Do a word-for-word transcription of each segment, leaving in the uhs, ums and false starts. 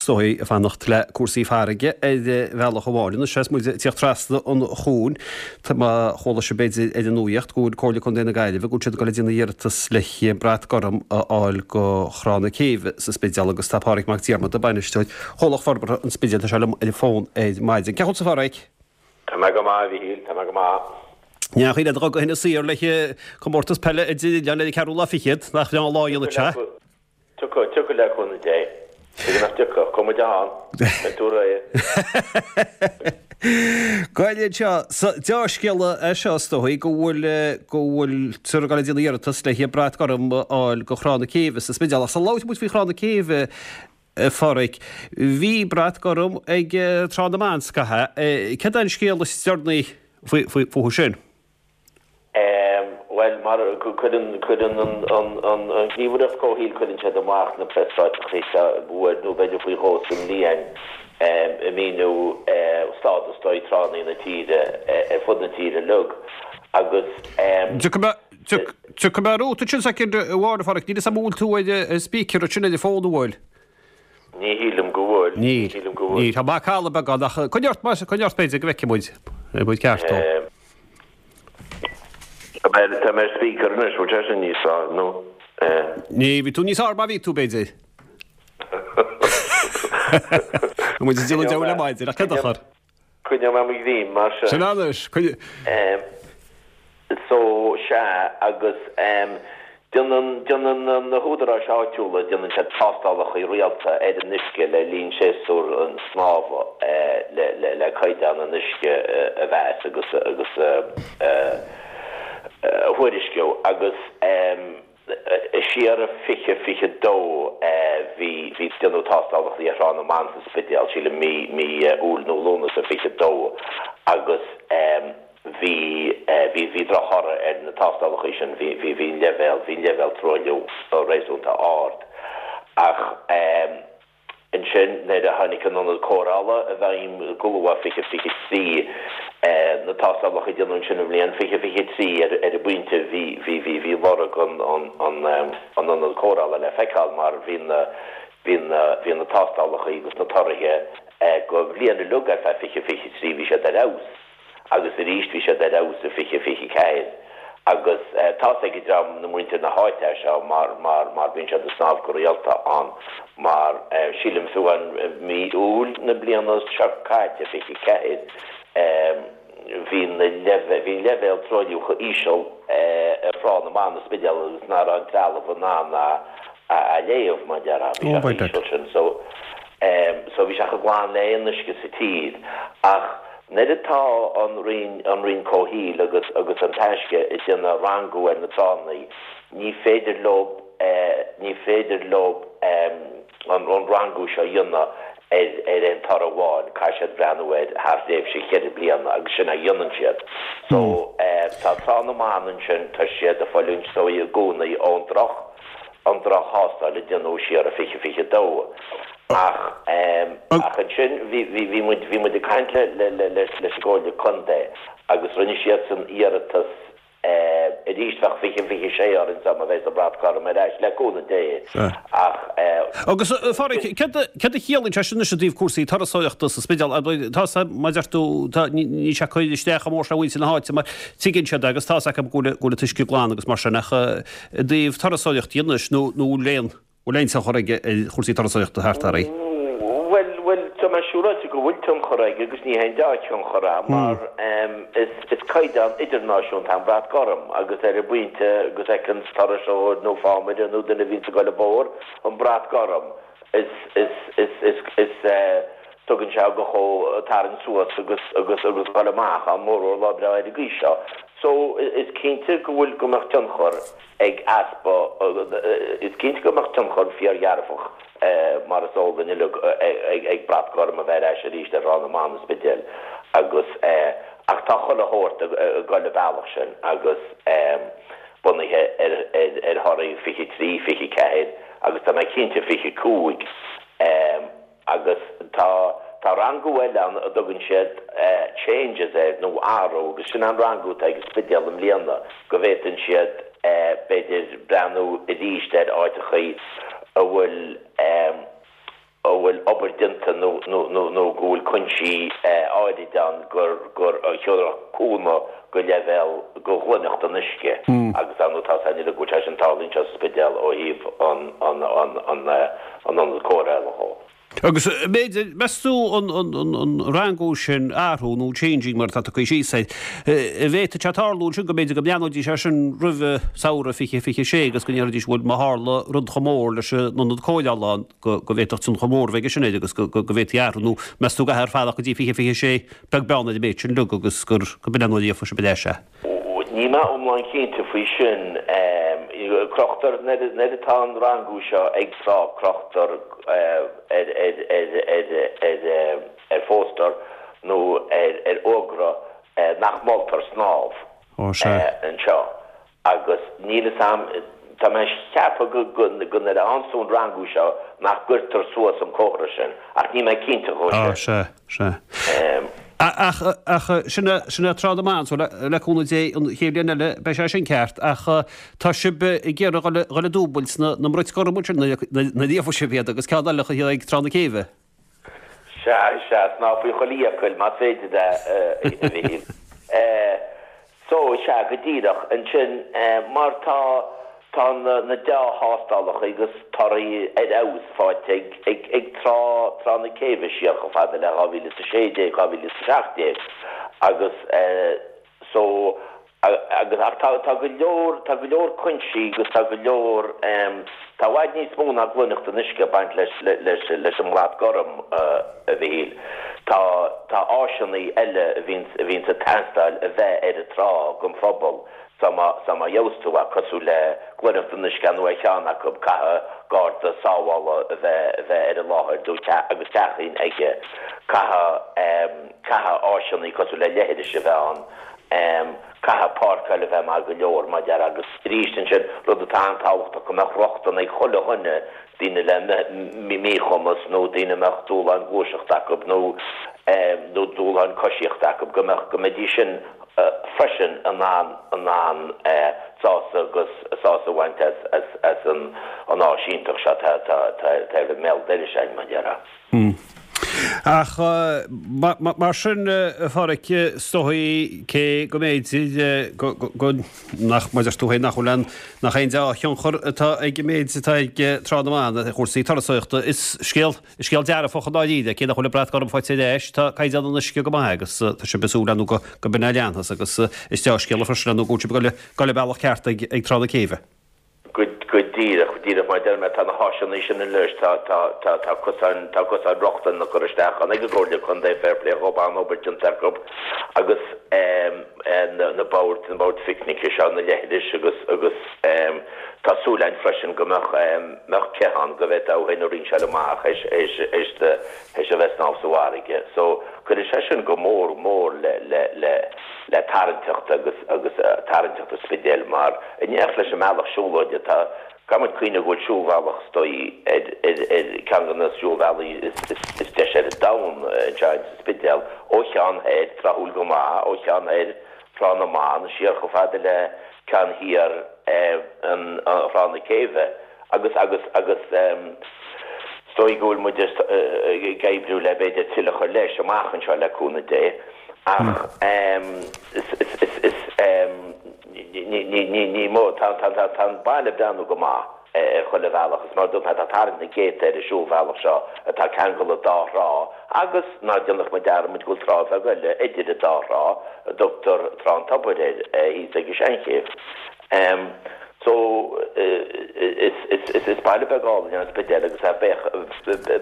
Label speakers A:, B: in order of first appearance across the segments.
A: dóigh ag fanacht le cúrsaí farraige ar bhealach amháin. Anois is muid ag tíocht trasna an chuain, má chuala sibh b'fhéidir ar an nuaíocht go bhfuil Comhairle Contae na Gaillimhe go bhfuil siad ag dul ag déanamh iarratas le brat gorm a fháil go Thrá na Céibhe sa Spidéal agus tá Pádraig Mac Diarmada, bainisteoir Chomhlacht Forbartha an Spidéil, tá sé liom ar an bhfón ar maidin. Cén chaoi a bhfuil tú a Phádraig?
B: Tá mé go maith, a Mhíchíl, tá mé go maith.
A: Ní chaoi le go hinna saor le comórtas peile idir le le ceathrú lá fichead nach bhreá an lá a dhéanamh sé.
B: Tiocfaidh, tiocfaidh le cúnamh Dé. Tuige nach dtiocfadh, comh maith ann, beidh tú réidh.
A: Gael seo, dea-scéala é seo is dóigh go bhfuil go bhfuil tú ag dul ag déanamh iarratas le brat gorm a fháil go Thrá na Céibhe sa Spidéal. Ach sula labhróidh muid faoi Thrá na Céibhe a Phádraig, bhí brat gorm ag Trá na mBan scaitheamh. Céard é an scéal is deireanaí fúthu sin?
B: Bhuel, mar cuireann cuireann an an an an Ghníomhaireacht Comhshaoil cuireann siad amach na preasráiteachaí seo uair nó b'fhéidir faoi dhó sa mbliain ag míniú stádas dóigh tránna na tíre ar fud na tíre uilig agus
A: Tiocfaidh mé romhat ansin soicind amháin a Phádraig, níl 'fhios a'm an bhfuil tú ar speaker ansin ar an bhfón an bhfuil?
B: Ní shílim go bhfuil.
A: Níl.
B: Ní shílim go bhfuil.
A: Níl. Tá macalla beag ann ach coinnigh ort, coinnigh ort b'fhéidir go bhfeicfidh muid. Beidh muid ceart ó.
B: Tá mé tá mé ar speaker anois, bhfuil sé sin níos fearr nó?
A: Ní, bhí tú níos fearr má bhí tú b'fhéidir. Tá muid ag déanamh deabhail le maidin ach cén dochar?
B: Coinneoidh mé mo ghreim mar sin.
A: Sin anois, coinnigh.
B: So, sea, agus déanann, déanann na húdaráis áitiúla, déanann siad tástálacha rialta ar an uisce le linn séasúr an snámha le, le, le caighdeán an uisce a mheas agus, agus a, a thuairisciú agus. Siar i fiche fiche dó bhí bhí déanadh tástálacha ar Thrá na mBan sa Spidéal, sílim mí mí Iúil nó Lúnasa fiche dó agus bhí bhí bhí drochthoradh ar na tástálacha sin, bhí bhí bhí an leibhéal bhí an leibhéal truailliú réasúnta ard ach Ansin, nuair a tháinig an t-ionad cóireála i bhfeidhm go luath fiche fiche trí, na tástálacha a déanadh ansin i mbliain fiche fiche trí, ar an bpointe bhí bhí bhí bhí lorg an an an an ionad cóireála le feiceáil mar bhí na bhí na bhí na tástálacha agus na torthaithe go bhliain uilig ar feadh fiche fiche trí bhí siad ar fheabhas. agus arís bhí siad ar fheabhas i fiche fiche ceathair agus tá's ag an dream na muintir na háite é seo mar mar mar bíonn siad ag snámh go rialta ann mar sílim fiú amháin mí Iúil na bliana seo caite fiche ceathair bhí na leibh bhí an leibhéal truailliú chomh íseal ar Thrá na mBan sa Spidéal agus ná raibh an trealamh in ann a a léamh mar déarfá bhí sé chomh íseal sin so so bhí sé chomh glan le aon uisce sa tír ach Nuair atá an Roinn, an Roinn Comhshaoil agus agus an Taisce ag déanamh rangú ar na tránna, ní féidir leo, ní féidir leo an an rangú seo a dhéanamh ar ar aon toradh amháin, caithfidh siad breathnú air thar thréimhse cheithre bliana agus sin a dhéanann siad. So tá Trá na mBan ansin, tá siad ag fulaingt so i gcónaí ón droch, an droch-thástáil a déanadh siar i fiche fiche dó. Ach ach ansin bhí bhí bhí muid bhí muid ag caint le le le leis an gComhairle Contae agus rinne siadsan iarratas arís bheadh fiche fiche sé orainn sá má bheas an brat gorm ar ais le cúnamh Dé ach
A: Agus a Phádraig, céard a céard a chiallaíonn sé sin anois i dtaobh cúrsaí turasóireachta sa Spidéal? Tá mar a deir tú, tá níl sé ag cur isteach chomh mór sin ar mhuintir na háite mar tuigeann siad é agus tá's acu go bhfuil go bhfuil an t-uisce glan agus mar sin ach i dtaobh turasóireachta anois nó nó bhfuil aon bhfuil aon tionchar aige ar chúrsaí turasóireachta thart air?
B: Bhuel, bhuel, tá mé siúráilte go bhfuil tionchar aige agus ní haon dea-thionchar é mar is is caighdeán idirnáisiúnta an brat gorm agus ar an bpointe go bhfeiceann turasóir nó fámaire nó duine a bhíonns ag dul an bóthar an brat gorm is is is is is tugann sé go chomh tarraingt suas agus agus agus dul amach ann mórmhór lá breá ar an gcaoi seo. So is cinnte go bhfuil go mbeadh tionchar ag easpa is cinnte go mbeadh tionchar fíordhearfach mar is eol duinn uilig ag ag brat gorm a bheith ar ais arís ar Thrá na mBan sa Spidéal agus ach tá chuile shórt ag dul an bealach sin agus bunaithe ar ar ar thorthaí fiche trí, fiche ceathair agus tá mé cinnte fiche cúig. Agus tá, tá rangú eile ann a dtugann siad changes air, nó athrú, agus sin an rangú atá ag an Spidéal i mbliana, go bhféadann siad b'fhéidir breathnú arís ar áiteachaí a bhfuil, a bhfuil obair déanta nó nó nó nó go bhfuil cúinsí áirid ann gur gur thiúrfadh cúnamh go leibhéal go ghlaineacht an uisce agus ar ndóigh tá a fhios againn go bhfuil sé sin tarlaíonn seo sa Spidéal ó thaobh an an an an an ionad cóireála dhó.
A: Agus b'fhéidir, meas tú an an an an rangú sin athrú nó changing mar atá tugtha síos air, an bhféadfadh sé tarlú ansin go mb'fhéidir go mbreathnóidís air sin roimh samhradh fiche fiche sé agus go ndéarfaidís bhuel má tharla rud chomh mór leis an ionad cóireála ann go go bhféadfadh tionchar mór a bheith aige sin air agus go go go bhféadfaí athrú nó meas tú go gcaithfear fanacht go dtí fiche fiche sé beag beann ar an méid sin uilig agus gur go b'in an uair a gheobhaidh sibh ar ais é.
B: Níl mé iomlán cinnte faoi sin. Crochtar, nuair atá an rangú seo ag trá, crochtar ar phóstaer nó ar fhógra nach moltar snámh anseo agus níl fhios a'm, tá mé ag ceapadh go nuair a fhaigheanns tú an rangú seo nach gcuirtear suas an comhartha sin ach níl mé cinnte dhó sin.
A: Á, sea, sea. Ach, ach, sin é, sin é Trá na mBan, so le, le cúnamh Dé an chéad bhliain eile beidh sé sin ceart, ach tá sibh ag iarraidh dhul, dhul ag dúbailt na, na mbrait gorm ansin nuair a, nuair a gheobhaidh sibh iad agus ceann eile a chur ag Trá na Céibhe.
B: Sea, sea, snámh faoi chuile fhiacail, más féidir é, a Mhichíl. So, sea, go díreach. Ansin, mar tá, tá na, na dea-thástálacha agus torthaí ar fheabhas faighte ag, ag, ag Trá, Trá na Céibhe siar chomh fada le dhá mhíle is a sé déag, dhá mhíle is a seacht déag agus so, agus, ach tá, tá go leor, tá go leor cúinsí agus tá go leor, tá i bhfad níos mó ná glaineacht an uisce ag baint leis, leis, leis an mbrat gorm, a Mhichíl. Tá, tá áiseanna eile a bhíonns, a bhíonns ag teastáil a bheith ar an trá don phobal so má, so má gheobhas tú é, cosúil le glaineacht an uisce nó ar cheann acu, caithfidh garda sábhála a bheith, a bheith ar an láthair nó agus teachín aige, caithfidh, caithfidh áiseanna cosúil le leithris a bheith ann, caithfidh páirceáil a bheith maith go leor, mar a déarfá, agus arís ansin, rud atá an-tábhachtach, go mbeadh rochtain ag chuile dhuine, daoine le míchumas nó daoine a mbeadh dúshláin gluaiseachta acu nó nó dúshláin coisíochta acu, go mbeadh, go mbeidís sin freisin in ann, in ann sásamh agus sásamh a bhaint as, as, as an an áis iontach seo atá, atá, atá ar an mbéal dorais againn, mar a déarfá.
A: Ach mar sin, a Pháraic, is dóigh, cé go mb'fhéidir go, go, nach, mar a deir tú féin, nach bhfuil aon, nach aon dea-thionchar atá ag an méid atá ag Trá na mBan ar chúrsaí turasóireachta, is scéal, is scéal dearfach i ndáiríre, cé nach bhfuil an brat gorm faighte ar ais, tá caighdeán an uisce go maith agus tá sibh ag súil ar ndóigh go, go b'in a leanfas agus is dea-scéala freisin ar ndóigh go bhfuil sibh ag dul, dul an bealach ceart ag, ag Trá na Céibhe.
B: Go díreach, díreach mar a deir mé, tá na háiseanna sin anois, tá, tá, tá, tá cosáin, tá cosáin rochtana curtha isteach ann ag an gComhairle Contae, fair play dhób, an-obair déanta acu agus ehm na, na boird, na boird phicnice seo, na leithris agus, agus ehm tá súil againn freisin go mbeadh ehm mbeadh cith ann go bhféadfá thú féin a rinseáil amach théis, théis, théis do, théis a bheith ag snámh sa bhfarraige. So cuirfidh sé sin go mór mór le, le, le, le tarraingteacht agus agus tarraingteacht an Spidéil mar in éineacht leis an mbealach siúlóide tá caithfidh muid cuimhneamh go bhfuil siúlbhealach is dóigh ar ar ar ceann de na siúlbhealaí is is is deise ar an domhan anseo sa Spidéal ó cheann thoir tráthúil go maith ó cheann thoir Trá na mBan siar chomh fada le ceann thiar an Thrá na Céibhe agus agus agus is dóigh go bhfuil muid ag oibriú le b'fhéidir tuilleadh a chur leis amach anseo le cúnamh Dé ach is is is is ní ní ní ní mó tá tá tá tá an baile ag breathnú go maith ar chuile bhealach is mar a dúirt mé tá tarraingt na gcéadta ar an siúlbhealach seo atá ag ceangal an dá thrá agus ná déanadh muid dearmad go bhfuil trá bheag eile idir an dá thrá a dtugtar Trá an Tobair air thíos ag an Seanchéibh. So is is is baile beag álainn é an Spidéal agus é ag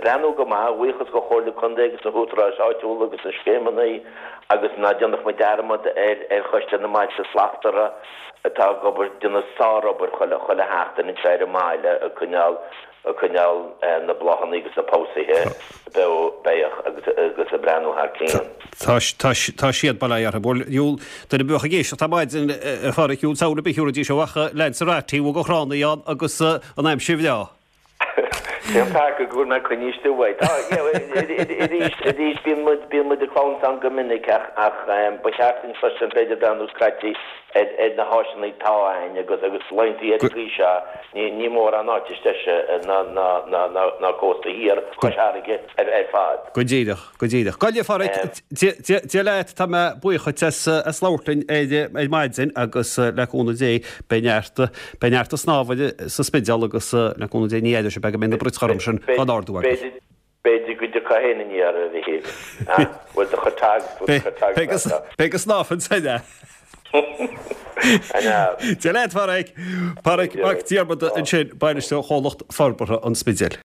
B: breathnú go maith, a bhuíochas do Chomhairle Contae agus na húdaráis áitiúla agus na scéimeanna agus ná déanadh muid dearmad ar ar Choiste na mBailte Slachtmhara atá ag obair, déanamh sárobair chuile chuile sheachtain anseo ar an mbaile ag coinneáil ag coinneáil na bláthanna agus na pobhsaithe beo beathach agus agus ag breathnú thar cionn.
A: Tá tá tá siad bail ó Dhia orthu. Bhuel, dhiabhal, duine a bheadh ag éisteacht ar maidin, a Pháraic, dhiabhal samhail ar bith a thabharfaidís ó ach Lanzarote, bhfuil go thránna ann agus an aimsir bhreá.
B: Cén taca go bhfuil mé coinnithe istigh uaidh? Tá, yeah, arís, arís, bíonn muid, bíonn muid ag clamhsán go minic ach, ach ba cheart duinn freisin, b'fhéidir, breathnú scaití ar na háiseanna atá ann agus agus laethanta ar an gcaoi seo, ní ní mórán áit is deise ná ná ná ná ná cósta thiar Chois Fharraige ar ar fad.
A: Go díreach, go díreach. Gabh i leith, a Phádraic, Dia Dia leat, tá mé buíoch duit as as labhairt linn ar ar maidin agus le cúnamh Dé beidh neart beidh neart snámha sa Spidéal agus le cúnamh Dé ní fheadar sibh go mbeidh na braic ghorm sin gan ardú agaibh.
B: B'fhéidir go dtiocfá féin aniar, a Mhichíl. Bhfuil do chuid tag, bhfuil do chuid tag
A: Beidh go beidh go snámh ansin, eh?
B: An ea?
A: Dia leat, a Phádraic! Pádraic Mac Diarmada ansin, bainisteoir Chomhlacht Forbartha an Spidéil.